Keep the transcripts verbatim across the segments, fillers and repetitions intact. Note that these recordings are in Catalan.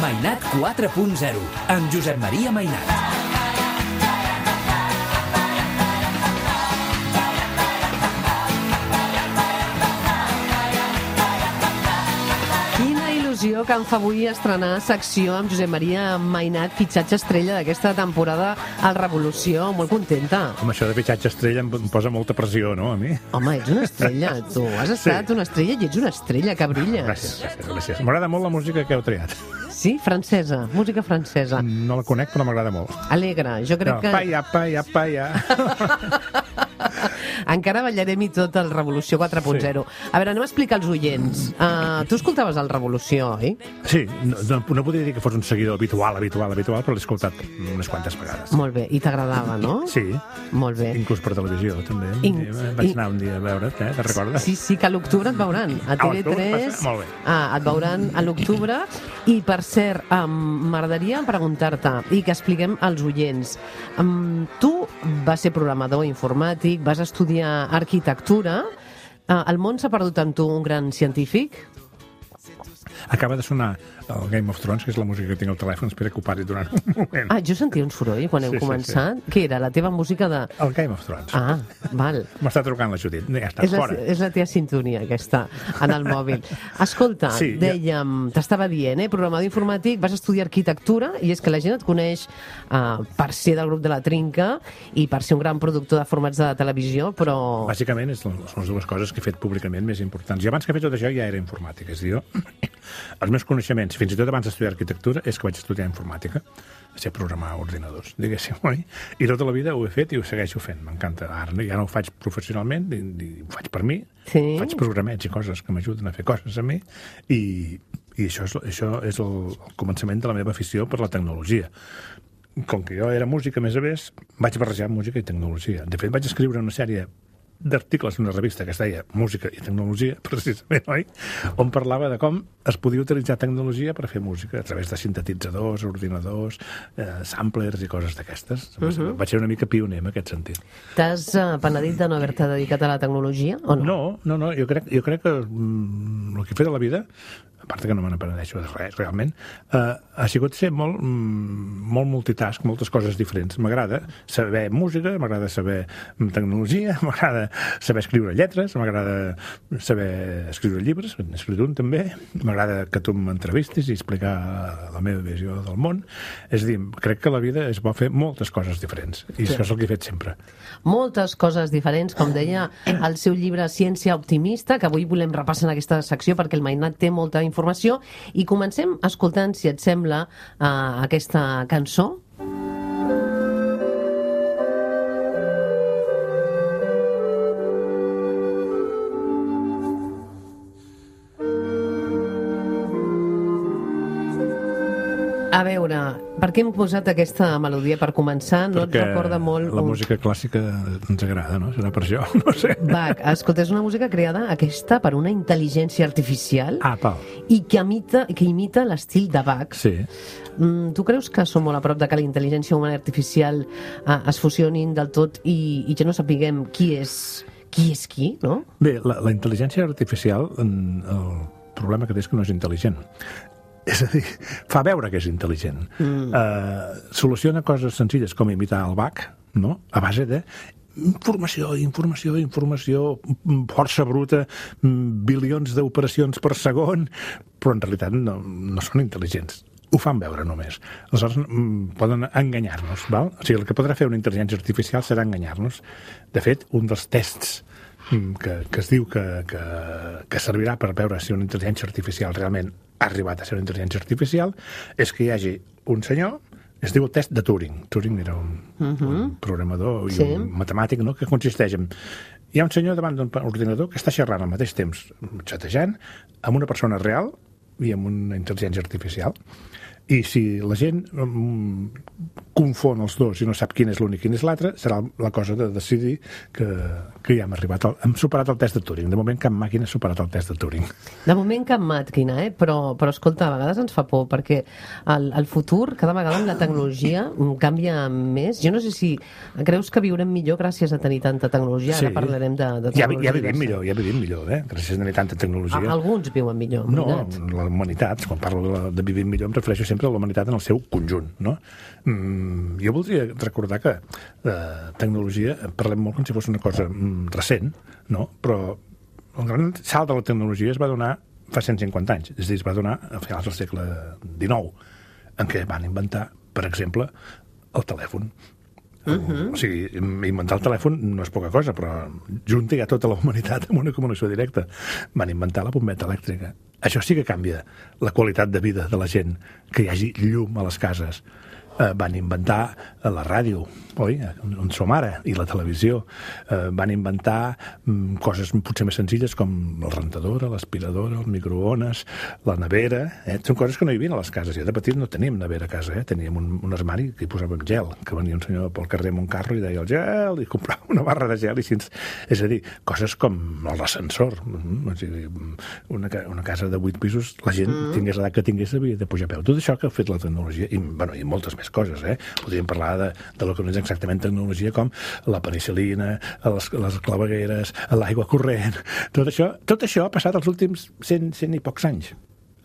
Mainat quatre punt zero, amb Josep Maria Mainat. Que em fa avui estrenar secció amb Josep Maria Mainat, fitxatge estrella d'aquesta temporada al Revolució. Molt contenta. Home, això de fitxatge estrella em posa molta pressió, no, a mi? Home, ets una estrella, tu. Has estat sí. una estrella i ets una estrella, que brilles. Gràcies, gràcies, gràcies. M'agrada molt la música que heu triat. Sí? Francesa, música francesa. No la conec, però m'agrada molt. Alegre, jo crec no, que... Paia, paia, paia. Encara ballarem i tot el Revolució quatre punt zero. Sí. A veure, anem a explicar als oients. Uh, tu escoltaves el Revolució, oi? Sí, no, no, no podria dir que fos un seguidor habitual, habitual, habitual, però l'he escoltat unes quantes vegades. Molt bé, i t'agradava, no? Sí. Molt bé. Inclús per televisió, també. In... Vaig anar un dia a veure't, eh? Te'n recordes? Sí, sí, que a l'octubre et veuran. A T V tres. Molt bé. Ah, et veuran a l'octubre. I, per cert, um, m'agradaria preguntar-te i que expliquem als oients. Um, tu vas ser programador informàtic, vas estudiar arquitectura. Uh, el món s'ha perdut amb tu un gran científic? Acaba de sonar el Game of Thrones, que és la música que tinc al telèfon. Espera que ho pari durant un moment. Ah, jo sentia un soroll quan heu sí, començat. Sí, sí. Què era, la teva música de... El Game of Thrones. Ah, val. M'està trucant la Judit. Ja està, és la, fora. És la teva sintonia, aquesta, en el mòbil. Escolta, sí, dèiem, ja... t'estava dient, eh, programador informàtic, vas estudiar arquitectura, i és que la gent et coneix uh, per ser del grup de la Trinca i per ser un gran productor de formats de televisió, però... Bàsicament, són les dues coses que he fet públicament més importants. I abans que he fet tot això ja era informàtica. És a dir, jo, els meus coneixements, fins i tot abans d'estudiar arquitectura, és que vaig estudiar informàtica, sé programar ordinadors, diguéssim, oi? I tota la vida ho he fet i ho segueixo fent, m'encanta. Ara ja no ho faig professionalment, i, i ho faig per mi, sí. Faig programets i coses que m'ajuden a fer coses a mi, i, i això, és, això és el, el començament de la meva afició per la tecnologia. Com que jo era músic, a més a més, vaig barrejar música i tecnologia. De fet, vaig escriure una sèrie d'articles en una revista que es deia Música i Tecnologia, precisament, oi? On parlava de com es podia utilitzar tecnologia per fer música a través de sintetitzadors, ordinadors, eh, samplers i coses d'aquestes. Uh -huh. Vaig ser una mica pioner en aquest sentit. T'has uh, penedit de no haver-te dedicat a la tecnologia, o no? No, no, no. Jo crec, jo crec que mm, el que he fet a la vida, a part que no me n'apenedeixo de res, realment, eh, ha sigut ser molt, mm, molt multitask, moltes coses diferents. M'agrada saber música, m'agrada saber tecnologia, m'agrada saber escriure lletres, m'agrada saber escriure llibres, n'he escrit un també, m'agrada que tu m'entrevistis i explicar la meva visió del món. És a dir, crec que la vida és bo fer moltes coses diferents, i sí. Això és el que he fet sempre. Moltes coses diferents, com deia el seu llibre Ciència Optimista, que avui volem repassar en aquesta secció perquè el Mainat té molta informació, i comencem escoltant, si et sembla, uh, aquesta cançó. A veure, per què hem posat aquesta melodia per començar? No Perquè et recorda molt... la música clàssica ens agrada, no? Serà per això, no sé. Bach, escolta, és una música creada aquesta per una intel·ligència artificial ah, pal. i que imita, que imita l'estil de Bach. Sí. Mm, tu creus que som molt a prop de que la intel·ligència humana i artificial eh, es fusionin del tot i, i ja no sapiguem qui és qui, és qui, no? Bé, la, la intel·ligència artificial, el problema que té és que no és intel·ligent. És a dir, fa veure que és intel·ligent. Mm. Uh, soluciona coses senzilles com imitar el Bach, no? A base de informació, informació, informació, força bruta, bilions d'operacions per segon, però en realitat no, no són intel·ligents. Ho fan veure només. Aleshores, poden enganyar-nos, val? O sigui, el que podrà fer una intel·ligència artificial serà enganyar-nos. De fet, un dels tests que, que es diu que, que, que servirà per veure si una intel·ligència artificial realment ha arribat a ser una intel·ligència artificial és que hi hagi un senyor, es diu el test de Turing. Turing era un, uh-huh. un programador i sí. un matemàtic, no?, que consisteix en... Hi ha un senyor davant d'un ordinador que està xerrant al mateix temps, xatejant, amb una persona real i amb una intel·ligència artificial. I si la gent um, confon els dos i no sap quin és l'únic i quin és l'altre, serà la cosa de decidir que, que ja hem arribat, al, hem superat el test de Turing. De moment cap màquina ha superat el test de Turing. De moment cap màquina, eh? però, però escolta, a vegades ens fa por, perquè el, el futur, cada vegada amb la tecnologia, canvia més. Jo no sé si creus que viurem millor gràcies a tenir tanta tecnologia. Ara Sí. parlarem de, de Ja, tecnologia. ja vivim millor, ja vivim millor, eh? Gràcies a tenir tanta tecnologia. A, alguns viuen millor. No, Mirat. la humanitat, quan parlo de, la, de vivir millor, em refereixo sempre a la humanitat en el seu conjunt, no? Mm, jo voldria recordar que de tecnologia parlem molt com si fos una cosa mm, recent, no? Però el gran salt de la tecnologia es va donar fa cent cinquanta anys, és a dir, es va donar a finals del segle dinou, en què van inventar, per exemple, el telèfon. Uh-huh. O sigui, inventar el telèfon no és poca cosa, però junta ja tota la humanitat amb una comunicació directa. Van inventar la bombeta elèctrica. Això sí que canvia la qualitat de vida de la gent, que hi hagi llum a les cases. Eh, van inventar la ràdio, oi? On som ara, i la televisió. Eh, van inventar mm, coses potser més senzilles com la rentadora, l'aspiradora, el microones, la nevera. Eh? Són coses que no hi havia a les cases. Jo de petit no teníem nevera a casa, eh? Teníem un, un armari que hi posàvem gel, que venia un senyor pel carrer amb un carro i deia el gel, i comprava una barra de gel. I així, és a dir, coses com l'ascensor. Mm, o sigui, una, una casa de vuit pisos, la gent, mm. tingués l'edat que tingués, havia de pujar a peu. Tot això que ha fet la tecnologia, i, bueno, i moltes més coses, eh? Podríem parlar de, de lo que no és exactament tecnologia, com la penicil·lina, les, les clavegueres, l'aigua corrent. Tot això, tot això ha passat els últims cent, cent i pocs anys.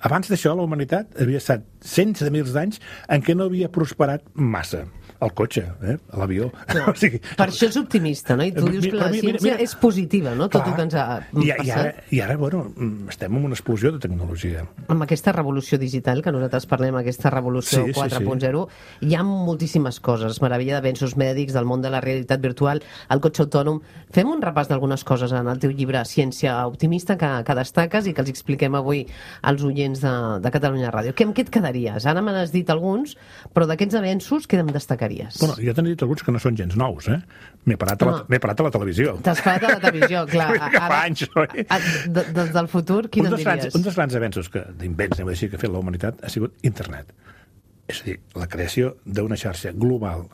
Abans d'això, la humanitat havia estat cents de mils d'anys en què no havia prosperat massa. El cotxe, eh? L'avió. No, o sigui, per això és optimista, no? I tu dius que la ciència mira, mira, és positiva, no? Tot clar, el que ens ha i, passat. I ara, I ara, bueno, estem en una explosió de tecnologia. Amb aquesta revolució digital, que nosaltres parlem, aquesta revolució sí, quatre punt zero, sí, sí. Hi ha moltíssimes coses. Meravella d'avenços mèdics, del món de la realitat virtual, el cotxe autònom. Fem un repàs d'algunes coses en el teu llibre Ciència Optimista, que, que destaques i que els expliquem avui als oients de, de Catalunya Ràdio. Que, amb què et quedaries? Ara me n'has dit alguns, però d'aquests avenços, què em destacaries? Bueno, jo t'he dit alguns que no són gens nous, eh? M'he parat, no. parat a la televisió. T'has parat a la televisió, clar. Ara, fa anys, oi? Des de, del futur, quin em diries? Grans, un dels grans avenços d'invents, anem a dir, que ha fet la humanitat ha sigut internet. És a dir, la creació d'una xarxa global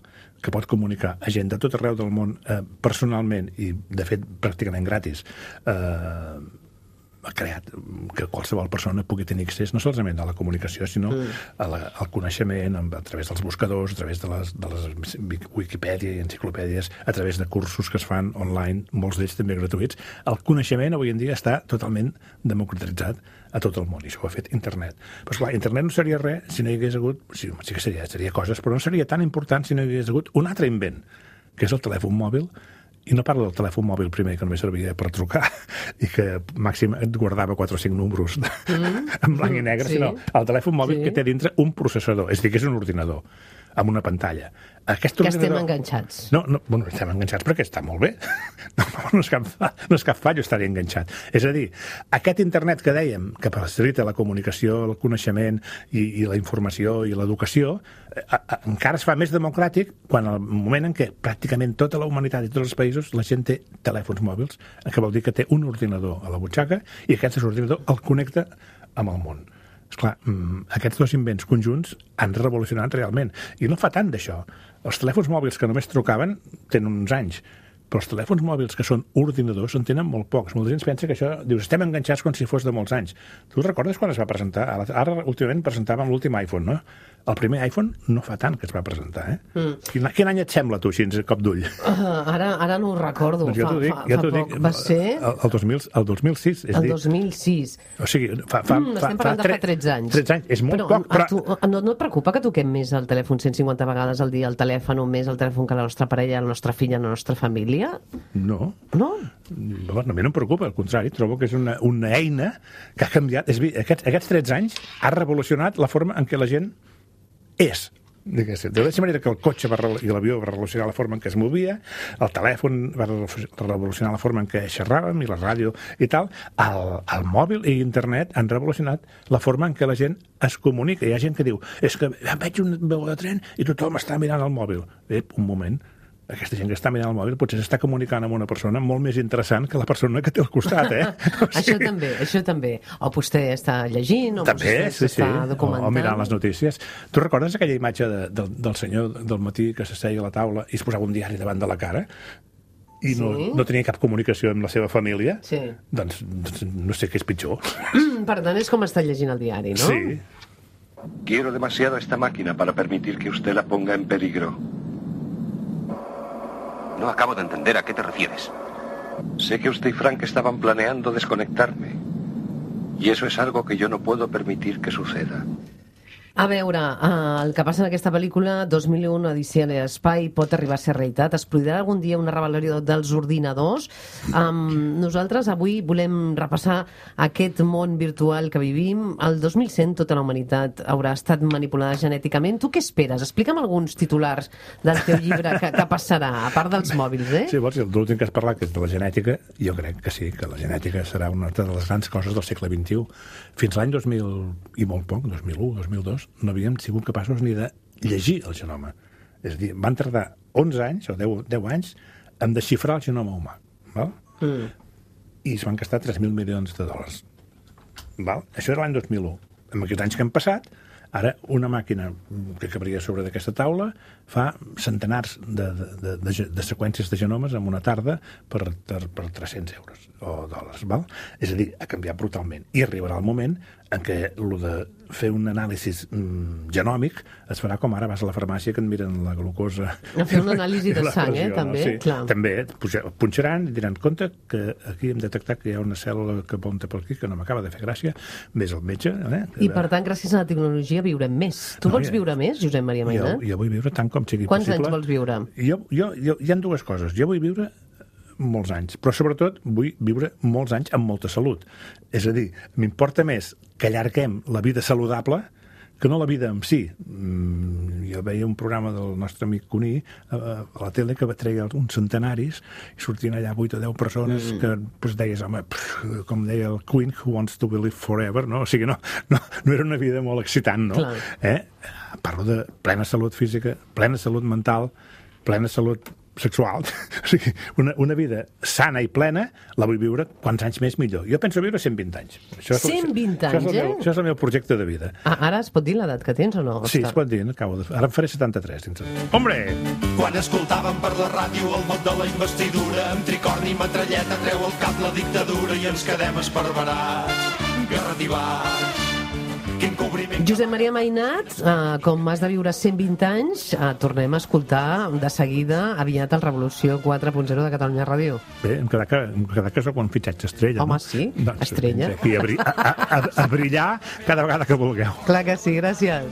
que pot comunicar a gent de tot arreu del món eh, personalment i, de fet, pràcticament gratis, eh, ha creat que qualsevol persona pugui tenir accés no solament a la comunicació, sinó mm. a la, al coneixement a través dels buscadors, a través de les, de les Wikipedia i enciclopèdies, a través de cursos que es fan online, molts d'ells també gratuïts. El coneixement avui en dia està totalment democratitzat a tot el món, i això ho ha fet internet. Però esclar, internet no seria res si no hi hagués hagut, sí, sí que seria, seria coses, però no seria tan important si no hi hagués hagut un altre invent, que és el telèfon mòbil. I no parlo del telèfon mòbil primer, que només servia per trucar i que màxim et guardava quatre o cinc números mm. en blanc i negre, sí. Sinó el telèfon mòbil sí. que té dintre un processador, és a dir, que és un ordinador amb una pantalla. Aquest que ordinador... estem enganxats. No, no, bueno, estem enganxats perquè està molt bé. No, no, és cap, no és cap fallo estar enganxat. És a dir, aquest internet que dèiem, que facilita la comunicació, el coneixement i, i la informació i l'educació, a, a, encara es fa més democràtic quan al moment en què pràcticament tota la humanitat i tots els països la gent té telèfons mòbils, que vol dir que té un ordinador a la butxaca i aquest ordinador el connecta amb el món. Esclar, aquests dos invents conjunts han revolucionat realment. I no fa tant d'això. Els telèfons mòbils que només trucaven tenen uns anys, però els telèfons mòbils que són ordinadors en tenen molt pocs. Molta gent pensa que això, dius, estem enganxats com si fos de molts anys. Tu recordes quan es va presentar? Ara, últimament, presentàvem l'últim iPhone, no? El primer iPhone no fa tant que es va presentar, eh? Mm. Quin, quin any et sembla, tu, així, a cop d'ull? Uh, ara, ara no ho recordo. Doncs jo t'ho dic, fa, jo fa t'ho dic. Va ser... El, el, dos mil, el dos mil sis. És el dir, dos mil sis. O sigui, fa... fa, mm, fa estem parlant fa, de fa tretze anys. tretze anys, és molt però, poc, però... Tu, no, no et preocupa que toquem més el telèfon cent cinquanta vegades al dia, el telèfon, o més el telèfon que la nostra parella, la nostra filla, la nostra família? No. No? No, a mi no em preocupa, al contrari, trobo que és una, una eina que ha canviat. És dir, aquests, aquests tretze anys ha revolucionat la forma en què la gent és. De la mateixa manera que el cotxe va, i l'avió va revolucionar la forma en què es movia, el telèfon va revolucionar la forma en què xerràvem i la ràdio i tal, el, el mòbil i internet han revolucionat la forma en què la gent es comunica. Hi ha gent que diu, és que veig un veu de tren i tothom està mirant el mòbil. Ep, un moment. aquesta gent que està mirant el mòbil potser s'està comunicant amb una persona molt més interessant que la persona que té al costat, eh? O sigui... Això també, això també. O vostè està llegint, o també, vostè sí, sí. està documentant. O, o mirant les notícies. Tu recordes aquella imatge de, de, del senyor del matí que s'asseia a la taula i es posava un diari davant de la cara? I no, sí? no tenia cap comunicació amb la seva família? Sí. Doncs, doncs no sé què és pitjor. Mm, per tant, és com està llegint el diari, no? Sí. Quiero demasiado esta máquina para permitir que usted la ponga en peligro. No acabo de entender a qué te refieres. Sé que usted y Frank estaban planeando desconectarme. Y eso es algo que yo no puedo permitir que suceda. A veure, uh, el que passa en aquesta pel·lícula, dos mil u, Odissea a l'espai, pot arribar a ser realitat. Es produirà algun dia una rebel·lió dels ordinadors. Um, nosaltres avui volem repassar aquest món virtual que vivim. El dos mil cent tota la humanitat haurà estat manipulada genèticament. Tu què esperes? Explica'm alguns titulars del teu llibre que, que passarà, a part dels mòbils, eh? Sí, vols, l'últim que has parlat, que és de la genètica, jo crec que sí, que la genètica serà una de les grans coses del segle vint-i-u. Fins l'any dos mil i molt poc, dos mil u, dos mil dos, no havíem sigut capaços ni de llegir el genoma. És a dir, van tardar onze anys o deu, deu anys en desxifrar el genoma humà. Val? Mm. I es van gastar tres mil milions de dòlars. Val? Això era l'any dos mil u. En aquests anys que han passat, ara una màquina que cabria sobre d'aquesta taula fa centenars de, de, de, de seqüències de genomes en una tarda per, per, per tres-cents euros o dòlars. Val? És a dir, ha canviat brutalment. I arribarà el moment en què el de fer un anàlisi mm, genòmic es farà com ara vas a la farmàcia que et miren la glucosa... A fer una anàlisi de sang, eh, també. Sí, clar. També, punxaran i diran, compte que aquí hem detectat que hi ha una cèl·lula que apunta per aquí, que no m'acaba de fer gràcia, vés al metge... Eh, I per tant, gràcies a la tecnologia viurem més. Tu no, vols ja, viure més, Josep Maria Mainat? Jo, jo vull viure tant com sigui Quants possible. Quants anys vols viure? Jo, jo, jo, hi ha dues coses. Jo vull viure molts anys, però sobretot vull viure molts anys amb molta salut. És a dir, m'importa més que allarguem la vida saludable que no la vida en si. Mm, jo veia un programa del nostre amic Cuní a, a la tele que treia uns centenaris i sortien allà vuit o deu persones mm. que pues, deies, home, pff, com deia el Queen, who wants to live forever, no? O sigui, no, no, no era una vida molt excitant, no? Clar. Eh? Parlo de plena salut física, plena salut mental, plena salut sexual. O sigui, una, una vida sana i plena la vull viure quants anys més millor. Jo penso viure cent vint anys. Això és, cent vint això anys, és eh? Meu, això és el meu projecte de vida. Ah, ara es pot dir l'edat que tens o no? Sí, es pot dir. Acabo de... Ara em faré setanta-tres. Dins... Hombre! Quan escoltàvem per la ràdio el mot de la investidura, amb tricorni i metralleta treu el cap la dictadura i ens quedem esparverats, garrativats. Josep Maria Mainat, eh, com has de viure cent vint anys, eh, tornem a escoltar de seguida aviat el Revolució quatre punt zero de Catalunya Ràdio. Bé, em quedarà que, em quedarà que soc un fitxatge estrella. Home, no? sí, doncs, estrella. Aquí a, bri a, a, a brillar cada vegada que vulgueu. Clar que sí, gràcies.